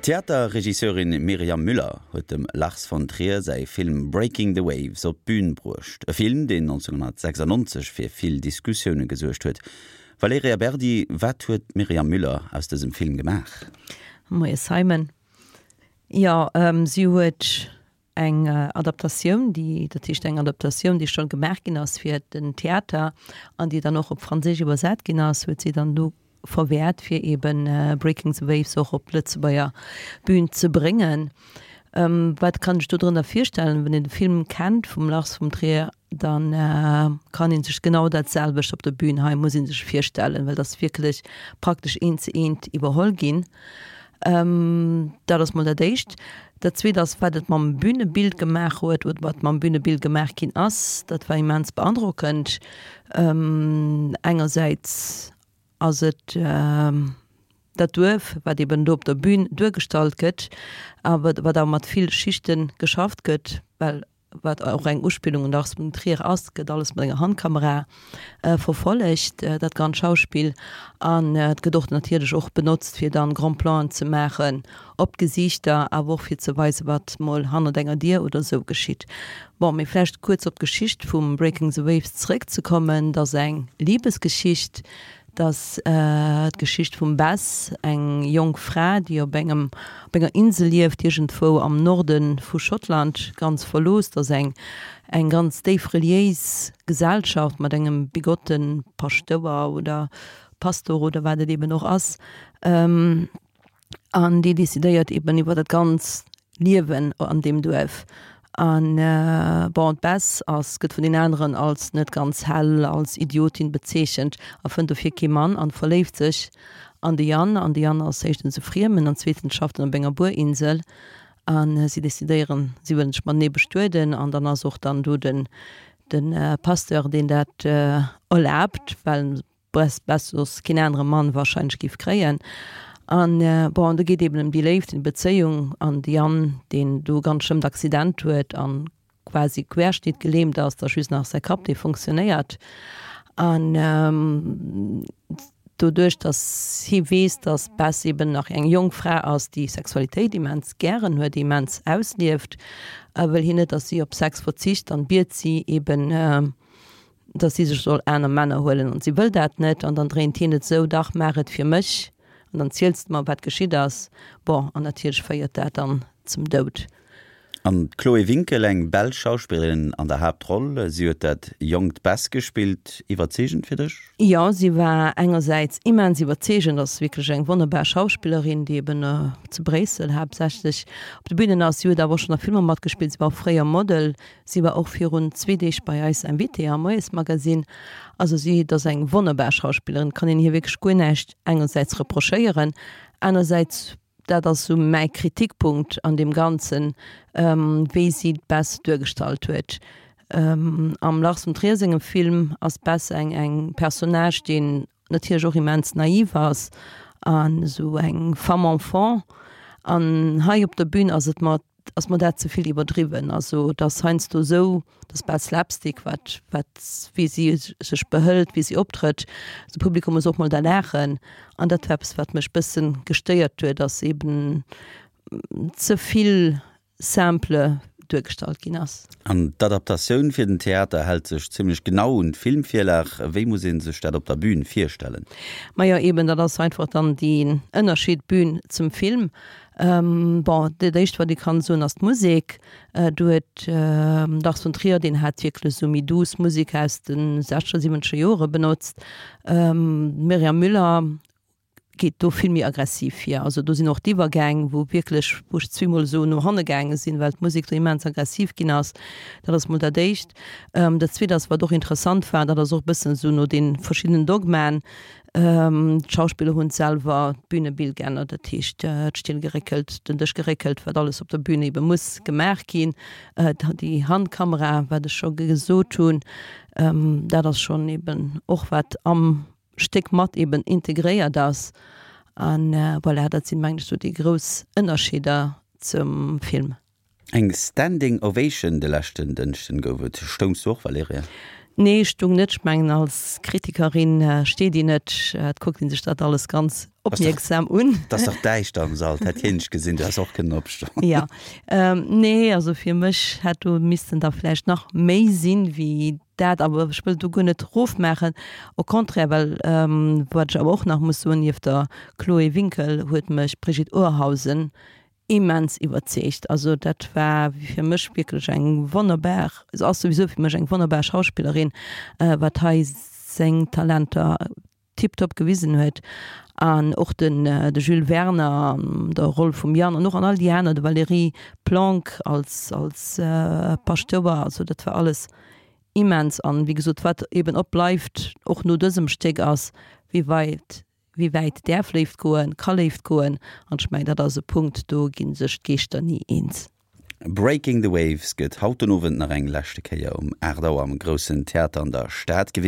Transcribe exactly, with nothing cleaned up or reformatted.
D'Theaterregisseurin Myriam Müller huet dem Lars von Trier säi Film Breaking the Waves op d'Bün bruecht. E Film, deen nonzénghonnertsechsannonzeg fir vill Diskussioune gesuergt huet. Valerija Berdi, wat huet d'Myriam Müller aus dësem Film gemaach? Moie Simon. Jo, si huet eng Adaptatioun, déi, dat heescht eng Adaptatioun, déi scho gemaach ginn ass fir den Theater an déi dann och op Franséisch iwwersat ginn ass, huet si dann do verwäert, fir eben Breaking the Waves och op d'Lëtzebuerger Bühn ze bréngen. Wat kann ech do drënner virstellen? Wann een de Film kennt vum Lars von Trier, dann kann ee sech genau dat selwecht op der Bühn hei muss ee sech virstellen, well dat ass wierklech praktesch eent zu eent iwwerholl ginn. Dat ass mol dat éischt. Dat zweet ass, wat et mam Bühnebild gemaach huet oder wat mam Bühnebild gemaach ginn ass, dat war immens beandrockend. Engersäits ass et dat Duerf, wat eben do op der Bühn duergestallt gëtt, awer wat awer mat vill Schichte geschafft gëtt, well wat och eng Uspillung un Lars von Trier ass, gëtt alles mat enger Handkamera verfollegt, dat ganz Schauspill. An et gëtt och natierlech och benotzt, fir dann Grand Planen ze maachen op d'Gesiichter, awer och fir ze weisen, wat mol hannert enger Dier oder esou geschitt. Bon, mee vläicht kuerz op d'Geschicht vum Breaking the Waves zeréckzekommen, Et ass eng Libesgeschicht. Et ass d'Geschicht vum Bess, eng jonk Fra, déi op engem, op enger Insel lieft, iergendwou am Norde vu Schottland, ganz verlooss. Et ass eng, eng ganz déif reliéis Gesellschaft mat engem bigotte Paschtouer oder Pastor oder wat et eben och ass. An déi decidéiert eben iwwer dat ganz Liewen an deem Duerf. An bon, d'Bess ass, gëtt vun den aneren als net ganz hell, als Idiotin bezeechent a fënnt dofir kee Mann an verléift sech an de Yann. An de Yann ass éischtens e Friemen an zweetens schafft en op enger Buerinsel. A si decidéieren, si wëllen sech matenee bestueden an dann ass och dann do den, de Pasteur, deen dat erlaabt, well d'Bess soss keen anere Mann warscheinlech géif kréien. An bon, do geet eben ëm déi Léift, ëm d'Bezéiung an de Yann, deen do ganz schlëmmt Accident huet an quasi querschnittgelähmt ass, da just nach säi Kapp, dee fonctionnéiert. An doduerch, datt hie weess, datt d'Bess eben nach eng jonk Fra ass, déi Sexualitéit immens gären huet, déi immens auslieft, wëll hien net, datt si op Sex verzicht an biet si eben, datt si sech soll aner Männer huelen an si wëll dat net an dann dréint hien et esou, dach maach et fir mech an dann ziels de mer wat geschitt ass. Bon, an natierlech féiert dat dann zum Doud. An d'Chloé Winkel, eng belsch Schauspillerin an der Haaptroll, si huet dat jonkt Bess gespillt. Iwwerzeegend fir dech? Jo, si war engersäits immens iwwerzeegend, ass wierklech eng wonnerbar Schauspillerin, déi eben zu Bréissel haaptsächlech op de Bünen ass. Si huet awer och schonn a Filmer matgespillt, si war och fréier Model. Si war och virun zwee Deeg bei eis Invitée am Moiesmagazine. Also si, et ass eng wonnerbar Schauspillerin, et kann een hir wierklech guer näischt engersäits reprochéieren, anersäits, dat ass esou mäi Kritikpunkt an deem Ganzen, wéi si d'Bess duergestallt huet. Am Lars von Trier sengem Film ass d'Bess eng eng Personnage, deen natierlech och immens naiv ass an esou eng Femme enfant. An hei op der Bühn ass et mer ass mer dat ze vill iwwerdriwwen. Also et ass heiansdo esou, et ass bal Slapstick, wat, wat, wéi si sech behëlt, wéi si optrëtt. De Publikum muss och mol da laachen. An dat war eppes, wat mech bëssen gestéiert huet, dass eben ze vill simple duergestallt ginn ass. An d'Adaptatioun fir den Theater hält sech zimmlech genau un d'Filmvirlag. Wéi muss ee sech dat op der Bühn virstellen? Majo eben, dat ass einfach dann deen Ënnerscheed Bühn zum Film. Bon, dat éischt wat ee kann soen ass d'Musek. Do huet Lars von Trier, deen hat wierklech esou méi douce Musek aus de sechzeger, siwwenzeger Jore benotzt. D'Myriam Müller geet do vill méi aggressiv vir. Also do sinn och d'Iwwergäng, wou wierklech, wou ech zweemol esou no hanne gaange sinn, well d'Musek do immens aggressiv ginn ass. Dat ass mol dat Éischt. Dat Zweet ass, wat och interessant war, dat ass och e bëssen esou no de verschiddenen Dogmaen, d'Schauspiller hunn selwer d'Bünebild geännert, dat heescht d'Still geréckelt, den Dësch geréckelt, wat alles op der Bühn ebe muss gemaach ginn. Déi Handkamera, wat ech scho gesot hunn, dat ass schonn eben och wat am Stéck mat eben integréiert ass. An voilà, dat sinn, mengen ech, esou déi grouss Ënnerscheeder zum Film. Eng Standing Ovation de leschten Dënschden gouf et. Stoungs du och, Valerija? Nee, stung net. Ech mengen als Kritikerin äh, steet een net, äh, et kuckt een sech dat alles ganz opmierksam un. Et ass dach däischter am Sall, hätt hien dech gesinn, du häss och kënnen opstoen. Ja, ähm, nee, also fir mech hätt do missten da vläicht nach méi sinn wéi dat, awer ech wëll do guer net rofmaachen, au contraire, well ähm, wat ech awer och nach muss soen, nieft der Chloé Winkel huet mech d'Brigitte Urhausen immens iwwerzeegt. Also dat war fir mech wierklech eng wonnerbar, se ass souwisou fir mech eng wonnerbar Schauspillerin, wat hei seng Talenter tiptop gewisen huet. An och den de Jules Werner an der Roll vum Yann an och an all déi aner, de Valérie Planck als als Paschtouer, also dat war alles immens. An wéi gesot, wat eben och bleift, och no dësem Stéck, ass wéi weit Wéi wäit däerf Léift goen, ka Léift goen? An ech mengen, dat ass e Punkt, do gi sech d'Geeschter ni eens. Breaking the Waves gëtt haut den Owend nach eng leschte Kéier um aacht Auer am Groussen Theater an der Stad gewisen.